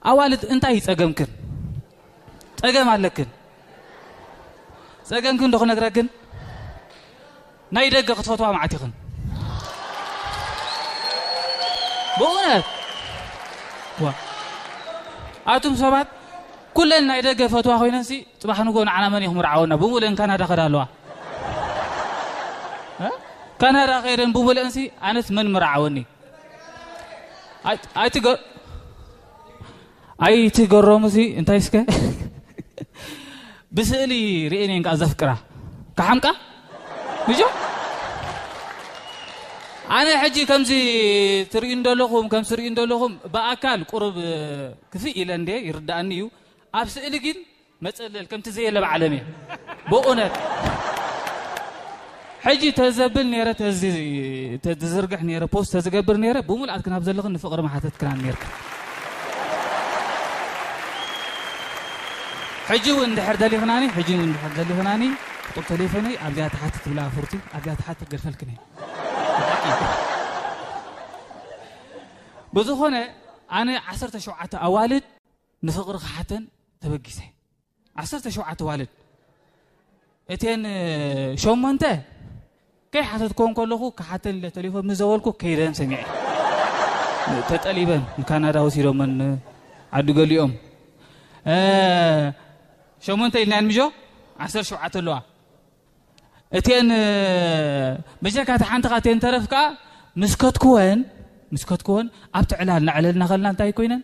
ኣዋልድ እንታይ እዩ ጸገምክን? ጸገም ኣለክን። ጸገምክን ዶ ክነግረክን? ናይ ደገ ክትፈትዋ መዓት ኢኽን። ብእውነት። ዋ። ኣቱም ሰባት ኩለን ናይ ደገ ፈትዋ ኮይነንሲ ጽባሕ ንጎ ንዓና መን ኢኹም ርዓወና? ብሙሉእን ካናዳ ከዳ ኣለዋ። እ? ካናዳ ከይደን ብሙሉእንሲ ኣነስ መን ምርዓወኒ? ኣይ-፣ ኣይትገ-፣ ኣይትገረሙ ሲ እንታይ እስከ? ብስእሊ ርእየን እየን ከኣ ዘፍቅራ። ከሓምቃ? ምጆ? ኣነ ሕጂ ከምዚ ትርእዩ እንደለኹም፣ ከም ትርእዩ እንደለኹም ብኣካል ቁሩብ ክፍእ ኢለ እንደ ይርዳእኒ እዩ። ኣብ ስእሊ ግን መጸለል ከምቲ ዘየለ ብዓለም እየ። ብእውነት። ሕጂ ተዘብል ነይረ፣ ተዚ-፣ ተዝዝርግሕ ነይረ፣ ፖስት ተዝገብር ነይረ፣ ብሙልኣት ክናብ ዘለኽን ንፍቕሪ መሓተት ክናን ነይርክ። ሕጂ እውን እንድሕር ደሊኽናኒ፣ ሕጂ እውን እንድሕር ደሊኽናኒ፣ ቁጥር ተሌፎነይ ኣብዚኣ ተሓቲ ትብላ ፍርቲ፣ ኣብዚኣ ተሓቲ ክገድፈልክን እየ። ብዝኾነ፣ ኣነ ዓሰርተ ሸውዓተ ኣዋልድ ንፍቕሪ ክሓተን ተበጊሰ። ዓሰርተ ሸውዓተ ኣዋልድ። እተን፣ እ፣ ሸሞንተ ከይሓተትኮን ከለኹ ክሓተን ኢለ ተሌፎን ምስ ዘበልኩ ከይደን ሰሚዐ። ተጠሊበን ንካናዳ ወሲዶመን ዓዲ ገሊኦም። እ፣ ሸሞንተ ኢልናየን ምጆ፣ ዓሰርተ ሸውዓተ ኣለዋ። እተን፣ እ፣ ብጀካ እታ ሓንቲ ካቴን ተረፍካ ምስ ከትክወን፣ ምስ ከትክወን ኣብቲ ዕላል እናዕለልና ከልና እንታይ ኮይነን?